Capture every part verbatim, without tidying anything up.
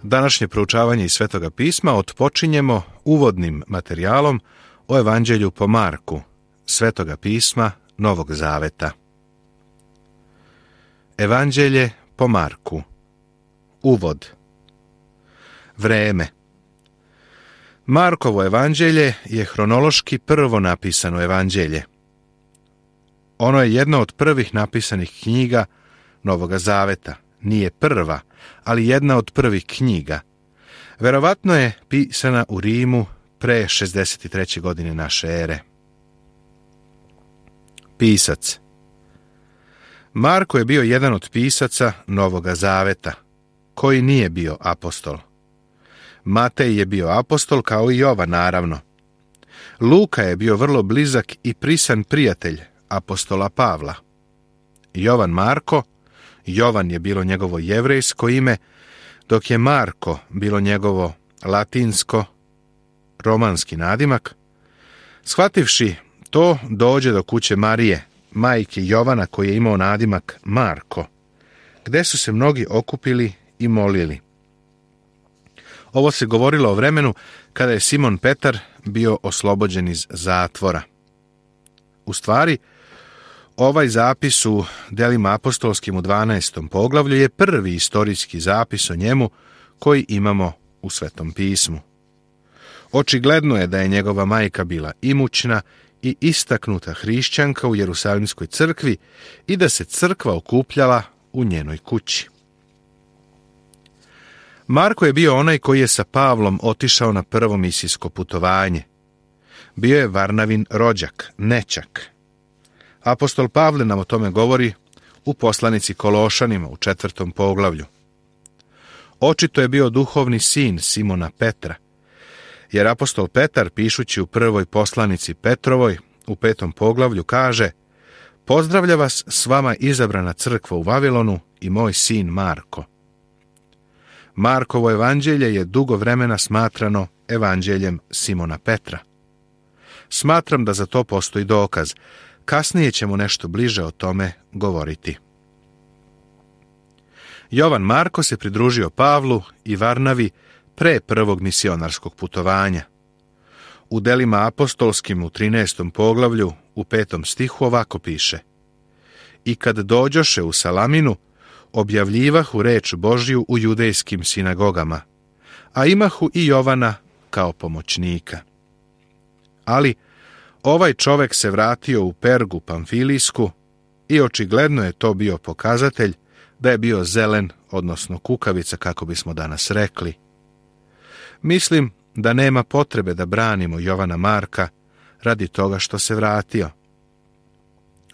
Današnje proučavanje iz Svetoga pisma otpočinjemo uvodnim materijalom o Evanđelju po Marku, Svetoga pisma Novog Zaveta. Evanđelje po Marku. Uvod. Vreme. Markovo evanđelje je hronološki prvo napisano evanđelje. Ono je jedno od prvih napisanih knjiga Novoga Zaveta. Nije prva, ali jedna od prvih knjiga. Verovatno je pisana u Rimu pre šezdeset treće godine naše ere. Pisac. Marko je bio jedan od pisaca Novoga Zaveta, koji nije bio apostol. Matej je bio apostol kao i Jovan, naravno. Luka je bio vrlo blizak i prisan prijatelj apostola Pavla. Jovan Marko, Jovan je bilo njegovo jevrejsko ime, dok je Marko bilo njegovo latinsko, romanski nadimak. Shvativši to, dođe do kuće Marije, majke Jovana, koji je imao nadimak Marko, gde su se mnogi okupili i molili. Ovo se govorilo o vremenu kada je Simon Petar bio oslobođen iz zatvora. U stvari, ovaj zapis u Delima apostolskim u dvanaestom poglavlju je prvi istorijski zapis o njemu koji imamo u Svetom pismu. Očigledno je da je njegova majka bila imućna i istaknuta hrišćanka u Jerusalimskoj crkvi i da se crkva okupljala u njenoj kući. Marko je bio onaj koji je sa Pavlom otišao na prvo misijsko putovanje. Bio je Varnavin rođak, nećak. Apostol Pavle nam o tome govori u poslanici Kološanima u četvrtom poglavlju. Očito je bio duhovni sin Simona Petra, jer apostol Petar, pišući u prvoj poslanici Petrovoj u petom poglavlju, kaže: "Pozdravlja vas s vama izabrana crkva u Vavilonu i moj sin Marko." Markovo evanđelje je dugo vremena smatrano evanđeljem Simona Petra. Smatram da za to postoji dokaz. Kasnije ćemo nešto bliže o tome govoriti. Jovan Marko se pridružio Pavlu i Varnavi pre prvog misionarskog putovanja. U Delima apostolskim u trinaestom poglavlju u petom stihu ovako piše: "I kad dođoše u Salaminu, objavljivahu reč Božju u judejskim sinagogama, a imahu i Jovana kao pomoćnika." Ali ovaj čovek se vratio u Pergu Pamfilijsku i očigledno je to bio pokazatelj da je bio zelen, odnosno kukavica, kako bismo danas rekli. Mislim da nema potrebe da branimo Jovana Marka radi toga što se vratio.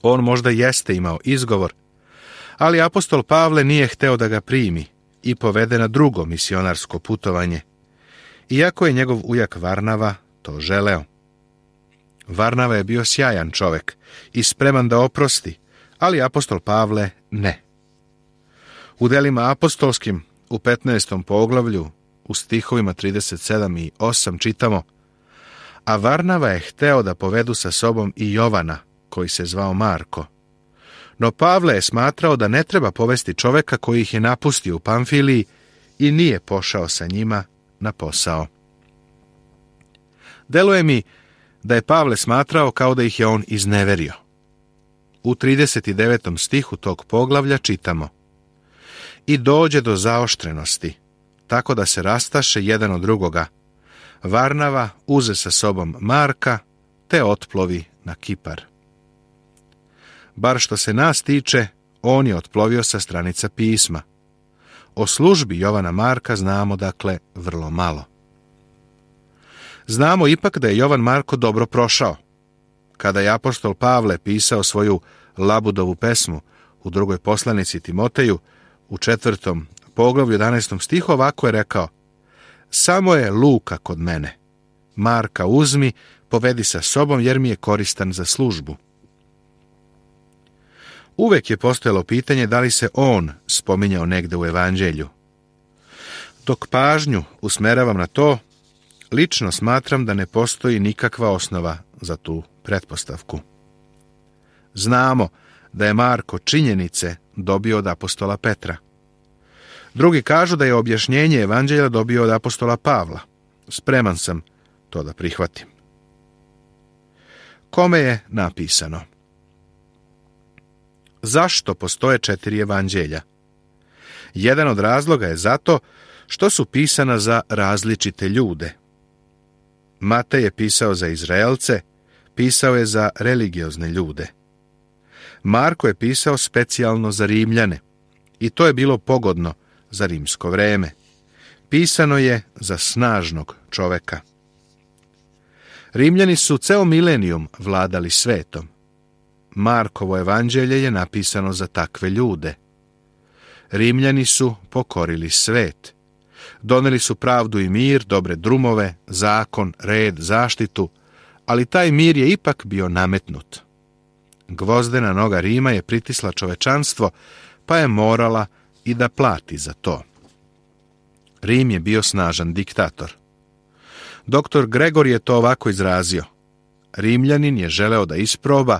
On možda jeste imao izgovor, ali apostol Pavle nije hteo da ga primi i povede na drugo misionarsko putovanje, iako je njegov ujak Varnava to želeo. Varnava je bio sjajan čovek i spreman da oprosti, ali apostol Pavle ne. U Delima apostolskim u petnaestom poglavlju u stihovima trideset sedam i osam čitamo: "A Varnava je hteo da povedu sa sobom i Jovana, koji se zvao Marko. No Pavle je smatrao da ne treba povesti čoveka koji ih je napustio u Pamfiliji i nije pošao sa njima na posao." Deluje mi da je Pavle smatrao kao da ih je on izneverio. U trideset devetom stihu tog poglavlja čitamo: "I dođe do zaoštrenosti, tako da se rastaše jedan od drugoga. Varnava uze sa sobom Marka, te otplovi na Kipar." Bar što se nas tiče, on je otplovio sa stranica pisma. O službi Jovana Marka znamo, dakle, vrlo malo. Znamo ipak da je Jovan Marko dobro prošao. Kada je apostol Pavle pisao svoju Labudovu pesmu u drugoj poslanici Timoteju, u četvrtom poglavlju jedanaestom stihu, ovako je rekao: "Samo je Luka kod mene. Marka uzmi, povedi sa sobom, jer mi je koristan za službu." Uvek je postojalo pitanje da li se on spominjao negde u evanđelju. Dok pažnju usmeravam na to, lično smatram da ne postoji nikakva osnova za tu pretpostavku. Znamo da je Marko činjenice dobio od apostola Petra. Drugi kažu da je objašnjenje evanđelja dobio od apostola Pavla. Spreman sam to da prihvatim. Kome je napisano? Zašto postoje četiri evanđelja? Jedan od razloga je zato što su pisana za različite ljude. Matej je pisao za Izraelce, pisao je za religiozne ljude. Marko je pisao specijalno za Rimljane i to je bilo pogodno za rimsko vreme. Pisano je za snažnog čoveka. Rimljani su ceo milenijum vladali svetom. Markovo evanđelje je napisano za takve ljude. Rimljani su pokorili svet. Doneli su pravdu i mir, dobre drumove, zakon, red, zaštitu, ali taj mir je ipak bio nametnut. Gvozdena noga Rima je pritisla čovečanstvo, pa je morala i da plati za to. Rim je bio snažan diktator. Doktor Gregor je to ovako izrazio. Rimljanin je želeo da isproba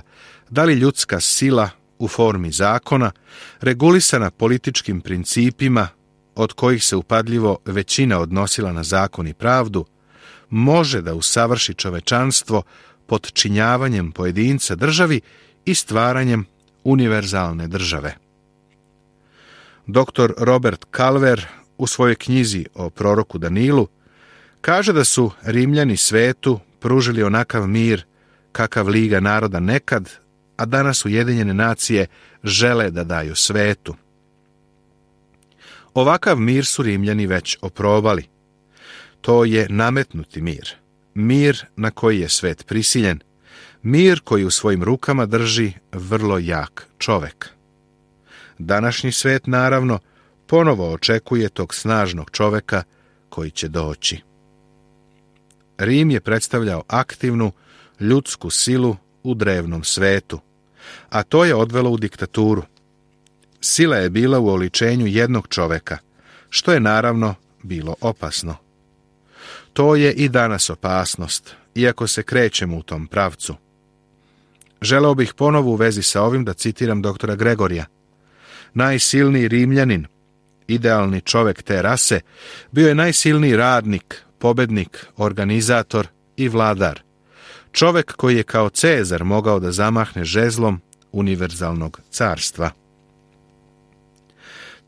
da li ljudska sila u formi zakona, regulisana političkim principima, od kojih se upadljivo većina odnosila na zakon i pravdu, može da usavrši čovečanstvo podčinjavanjem pojedinca državi i stvaranjem univerzalne države. Doktor Robert Calver u svojoj knjizi o proroku Danilu kaže da su Rimljani svetu pružili onakav mir kakav Liga naroda nekad, a danas Ujedinjene nacije žele da daju svetu. Ovakav mir su Rimljani već oprobali. To je nametnuti mir, mir na koji je svet prisiljen, mir koji u svojim rukama drži vrlo jak čovek. Današnji svet, naravno, ponovo očekuje tog snažnog čoveka koji će doći. Rim je predstavljao aktivnu, ljudsku silu u drevnom svetu, a to je odvelo u diktaturu. Sila je bila u oličenju jednog čoveka, što je naravno bilo opasno. To je i danas opasnost, iako se krećemo u tom pravcu. Želeo bih ponovo u vezi sa ovim da citiram doktora Gregorija. Najsilniji Rimljanin, idealni čovek te rase, bio je najsilniji radnik, pobednik, organizator i vladar. Čovek koji je kao Cezar mogao da zamahne žezlom univerzalnog carstva.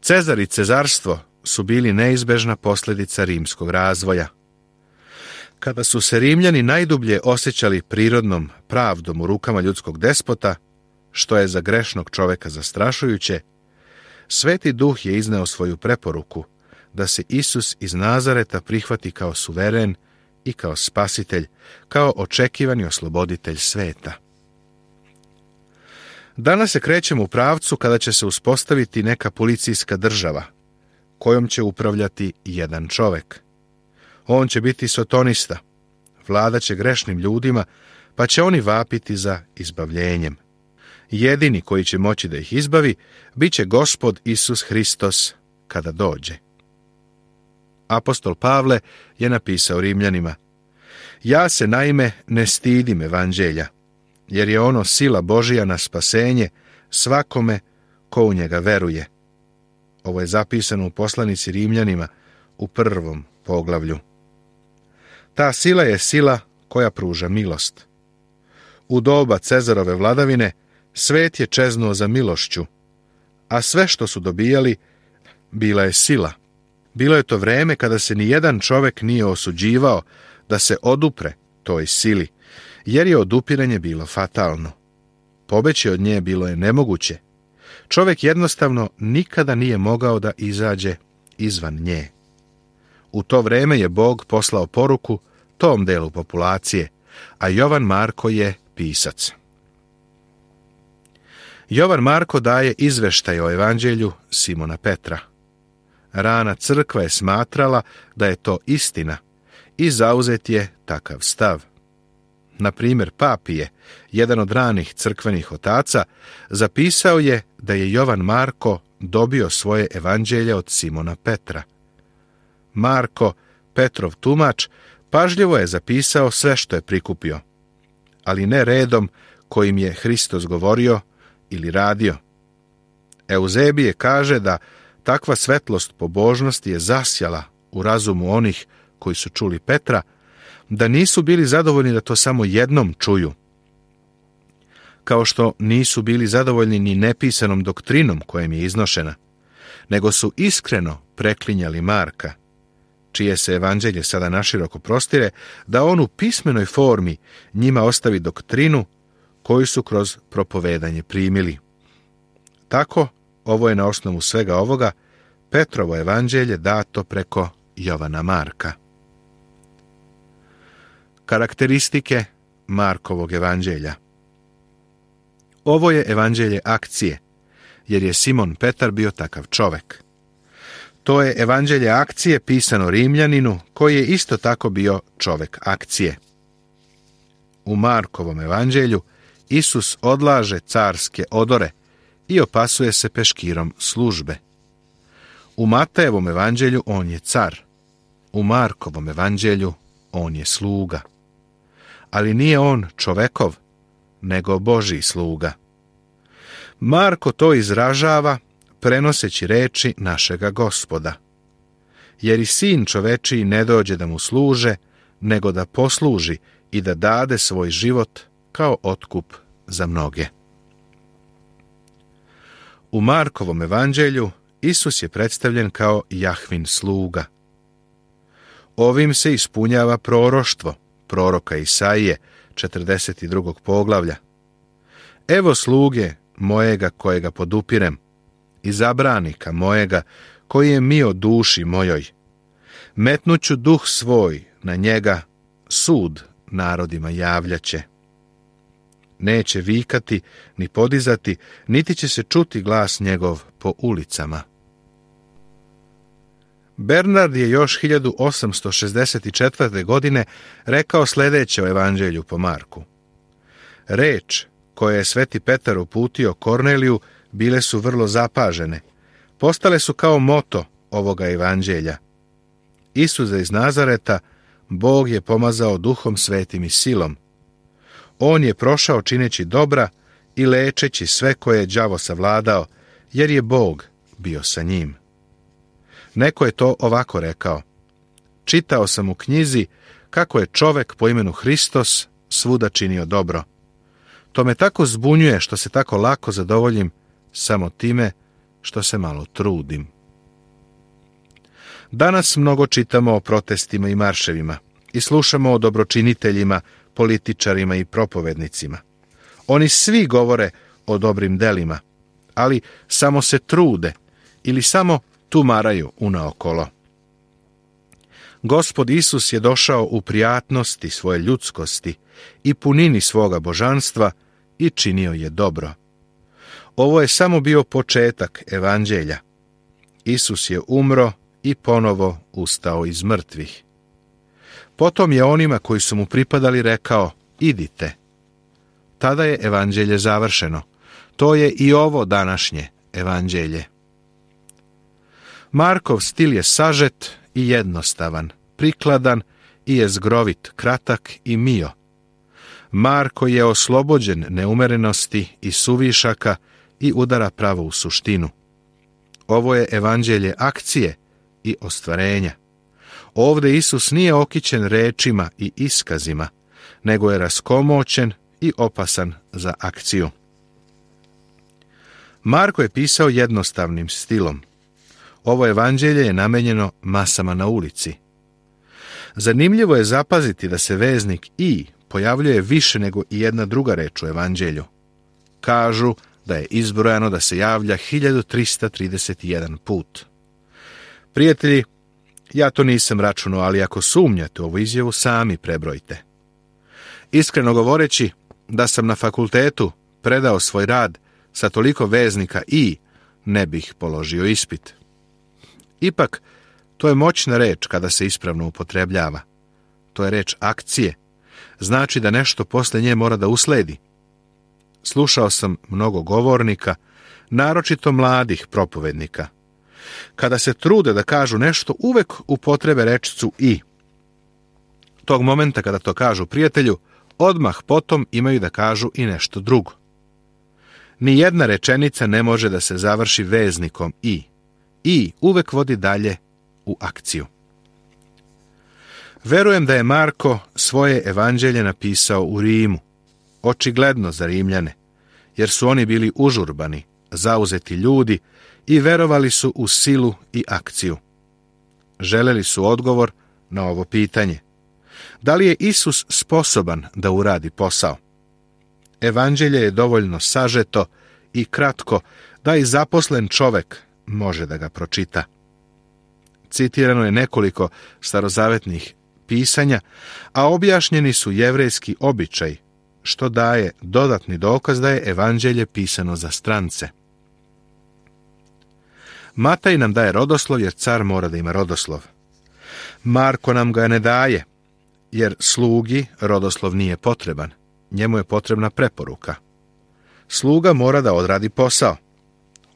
Cezar i cezarstvo su bili neizbežna posljedica rimskog razvoja. Kada su se Rimljani najdublje osjećali prirodnom pravdom u rukama ljudskog despota, što je za grešnog čoveka zastrašujuće, Sveti Duh je izneo svoju preporuku da se Isus iz Nazareta prihvati kao suveren i kao spasitelj, kao očekivani osloboditelj sveta. Danas se krećemo u pravcu kada će se uspostaviti neka policijska država, kojom će upravljati jedan čovek. On će biti sotonista, vladat će grešnim ljudima, pa će oni vapiti za izbavljenjem. Jedini koji će moći da ih izbavi, bit će Gospod Isus Hristos kada dođe. Apostol Pavle je napisao Rimljanima: Ja se naime ne stidim evanđelja, jer je ono sila Božija na spasenje svakome ko u njega veruje. Ovo je zapisano u poslanici Rimljanima u prvom poglavlju. Ta sila je sila koja pruža milost. U doba Cezarove vladavine svet je čeznuo za milošću, a sve što su dobijali bila je sila. Bilo je to vreme kada se ni jedan čovek nije osuđivao da se odupre toj sili, jer je odupiranje bilo fatalno. Pobeći od nje bilo je nemoguće. Čovek jednostavno nikada nije mogao da izađe izvan nje. U to vreme je Bog poslao poruku tom delu populacije, a Jovan Marko je pisac. Jovan Marko daje izveštaj o evanđelju Simona Petra. Rana crkva je smatrala da je to istina i zauzet je takav stav. Na primjer, Papije, jedan od ranih crkvenih otaca, zapisao je da je Jovan Marko dobio svoje evanđelje od Simona Petra. Marko, Petrov tumač, pažljivo je zapisao sve što je prikupio, ali ne redom kojim je Hristos govorio ili radio. Euzebije kaže da Takva svetlost pobožnosti je zasjala u razumu onih koji su čuli Petra, da nisu bili zadovoljni da to samo jednom čuju. Kao što nisu bili zadovoljni ni nepisanom doktrinom kojem je iznošena, nego su iskreno preklinjali Marka, čije se evanđelje sada naširoko prostire, da on u pismenoj formi njima ostavi doktrinu koju su kroz propovedanje primili. Tako, ovo je na osnovu svega ovoga Petrovo evanđelje dato preko Jovana Marka. Karakteristike Markovog evanđelja. Ovo je evanđelje akcije, jer je Simon Petar bio takav čovek. To je evanđelje akcije pisano Rimljaninu, koji je isto tako bio čovek akcije. U Markovom evanđelju Isus odlaže carske odore i opasuje se peškirom službe. U Matejevom evanđelju on je car, u Markovom evanđelju on je sluga. Ali nije on čovekov, nego Božji sluga. Marko to izražava prenoseći reči našega Gospoda. Jer i sin čovečiji ne dođe da mu služe, nego da posluži i da dade svoj život kao otkup za mnoge. U Markovom evanđelju Isus je predstavljen kao Jahvin sluga. Ovim se ispunjava proroštvo proroka Isaije, četrdeset drugog poglavlja. Evo sluge mojega kojega podupirem, izabranika mojega koji je mio duši mojoj. Metnuću duh svoj na njega, sud narodima javljaće. Neće vikati, ni podizati, niti će se čuti glas njegov po ulicama. Bernard je još hiljadu osamsto šezdeset četvrte. godine rekao sljedeće o evanđelju po Marku. Reč koje je sveti Petar uputio Korneliju bile su vrlo zapažene. Postale su kao moto ovoga evanđelja. Isusa iz Nazareta Bog je pomazao duhom svetim i silom. On je prošao čineći dobra i lečeći sve koje je đavo savladao, jer je Bog bio sa njim. Neko je to ovako rekao. Čitao sam u knjizi kako je čovek po imenu Hristos svuda činio dobro. To me tako zbunjuje što se tako lako zadovoljim samo time što se malo trudim. Danas mnogo čitamo o protestima i marševima i slušamo o dobročiniteljima, političarima i propovednicima. Oni svi govore o dobrim delima, ali samo se trude ili samo tumaraju unaokolo. Gospod Isus je došao u prijatnosti svoje ljudskosti i punini svoga božanstva i činio je dobro. Ovo je samo bio početak evanđelja. Isus je umro i ponovo ustao iz mrtvih. Potom je onima koji su mu pripadali rekao, idite. Tada je evanđelje završeno. To je i ovo današnje evanđelje. Markov stil je sažet i jednostavan, prikladan i jezgrovit, kratak i mio. Marko je oslobođen neumerenosti i suvišaka i udara pravo u suštinu. Ovo je evanđelje akcije i ostvarenja. Ovde Isus nije okićen rečima i iskazima, nego je raskomoćen i opasan za akciju. Marko je pisao jednostavnim stilom. Ovo evanđelje je namenjeno masama na ulici. Zanimljivo je zapaziti da se veznik i pojavljuje više nego i jedna druga reč u evanđelju. Kažu da je izbrojano da se javlja hiljadu trista trideset jedan put. Prijatelji, ja to nisam računao, ali ako sumnjate u ovu izjavu, sami prebrojte. Iskreno govoreći, da sam na fakultetu predao svoj rad sa toliko veznika i ne bih položio ispit. Ipak, to je moćna reč kada se ispravno upotrebljava. To je reč akcije. Znači da nešto posle nje mora da usledi. Slušao sam mnogo govornika, naročito mladih propovednika. Kada se trude da kažu nešto, uvek upotrebe rečicu i. Tog momenta kada to kažu prijatelju, odmah potom imaju da kažu i nešto drugo. Ni jedna rečenica ne može da se završi veznikom i, i uvek vodi dalje u akciju. Verujem da je Marko svoje evanđelje napisao u Rimu, očigledno za Rimljane, jer su oni bili užurbani, zauzeti ljudi i verovali su u silu i akciju. Želeli su odgovor na ovo pitanje. Da li je Isus sposoban da uradi posao? Evanđelje je dovoljno sažeto i kratko da i zaposlen čovek može da ga pročita. Citirano je nekoliko starozavetnih pisanja, a objašnjeni su jevrejski običaj, što daje dodatni dokaz da je evanđelje pisano za strance. Mataj nam daje rodoslov jer car mora da ima rodoslov. Marko nam ga ne daje, jer slugi rodoslov nije potreban. Njemu je potrebna preporuka. Sluga mora da odradi posao.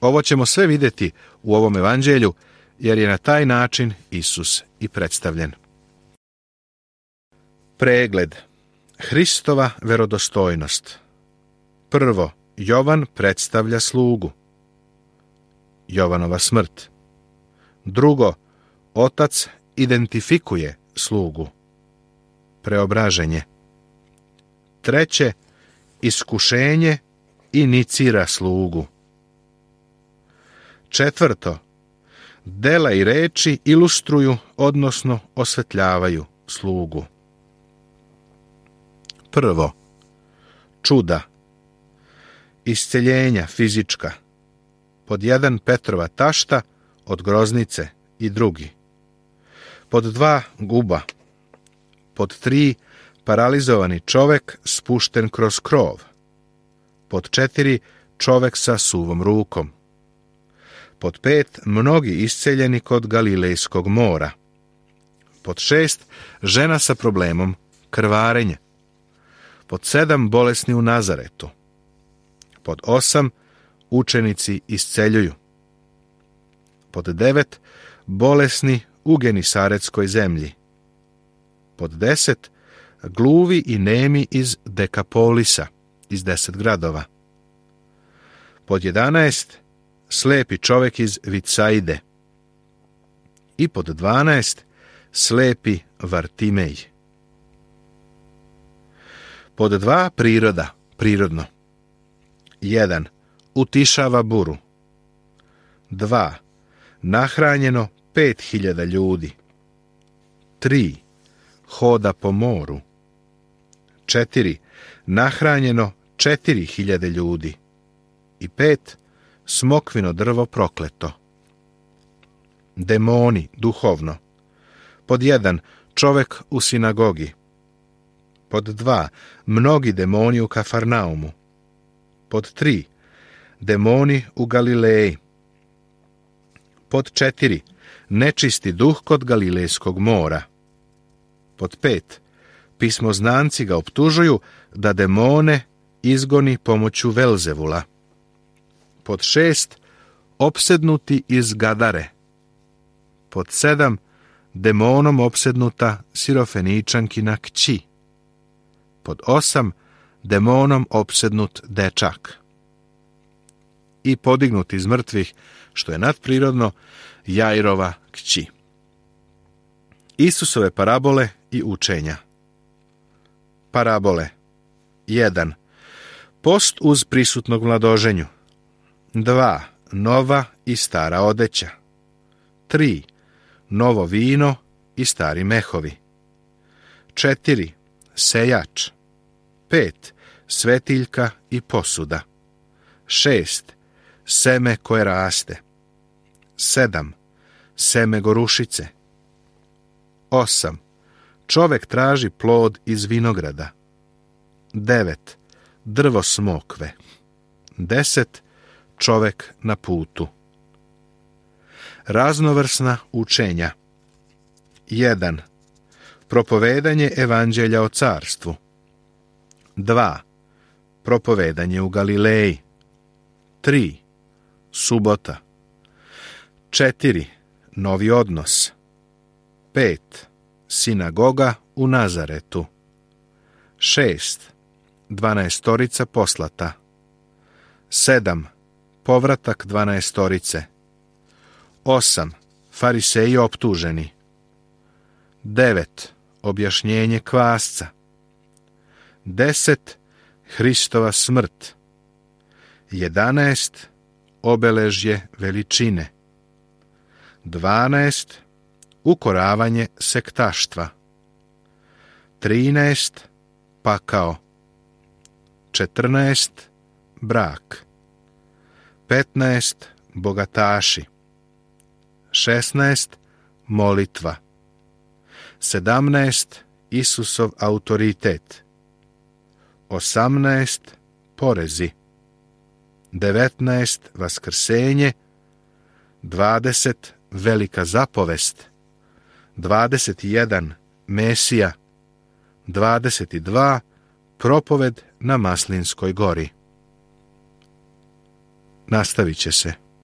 Ovo ćemo sve vidjeti u ovom evanđelju, jer je na taj način Isus i predstavljen. Pregled. Hristova verodostojnost. Prvo, Jovan predstavlja slugu. Jovanova smrt. Drugo, Otac identifikuje slugu. Preobraženje. Treće, iskušenje inicira slugu. Četvrto, dela i reči ilustruju, odnosno osvetljavaju slugu. Prvo, čuda. Isceljenja fizička. Pod jedan, Petrova tašta od groznice i drugi. Pod dva, guba. Pod tri, paralizovani čovek spušten kroz krov. Pod četiri, čovek sa suvom rukom. Pod pet, mnogi isceljeni kod Galilejskog mora. Pod šest, žena sa problemom krvarenja. Pod sedam, bolesni u Nazaretu. Pod osam, učenici isceljuju. Pod devet, bolesni u Genisaretskoj zemlji. Pod deset, gluvi i nemi iz Dekapolisa, iz deset gradova. Pod jedanaest, slepi čovjek iz Vicajde. I pod dvanaest, slepi Vartimej. Pod dva, priroda, prirodno. jedan. Utišava buru. dva. Nahranjeno pet hiljada ljudi. tri. Hoda po moru. četiri. Nahranjeno četiri hiljade ljudi. I pet. Smokvino drvo prokleto. Demoni, duhovno. Pod jedan. Čovek u sinagogi. Pod dva. Mnogi demoni u Kafarnaumu. Pod tri. Demoni u Galileji. Pod četiri. Nečisti duh kod Galilejskog mora. Pod pet. Pismoznanci ga optužuju da demone izgoni pomoću Velzevula. Pod šest. Opsednuti iz Gadare. Pod sedam. Demonom opsednuta Sirofeničankina kći. Pod osam. Demonom opsednut dečak. I podignut iz mrtvih, što je nadprirodno, Jairova kći. Isusove parabole i učenja. Parabole. jedan. Post uz prisutnog mladoženju. dva. Nova i stara odeća. tri. Novo vino i stari mehovi. četiri. Sejač. pet. Svetiljka i posuda. šest. Seme koje raste. sedam. Seme gorušice. osam. Čovek traži plod iz vinograda. devet. Drvo smokve. deset. Čovek na putu. Raznovrsna učenja. jedan. Propovedanje evanđelja o carstvu. dva. Propovedanje u Galileji. tri. Subota. četiri. Novi odnos. pet. Sinagoga u Nazaretu. šest. Dvanaestorica poslata. sedam. Povratak dvanaestorice. osam. Fariseji optuženi. devet. Objašnjenje kvasca. deset. Hristova smrt. jedanaest. Obeležje veličine. dvanaest. Ukoravanje sektaštva. trinaest. Pakao. četrnaest. Brak. petnaest. Bogataši. šesnaest. Molitva. sedamnaest. Isusov autoritet. osamnaest. Porezi. devetnaest. Vaskrsenje. dvadeset. Velika zapovest. dvadeset jedan. Mesija. dvadeset dva. Propoved na Maslinskoj gori. Nastavit će se.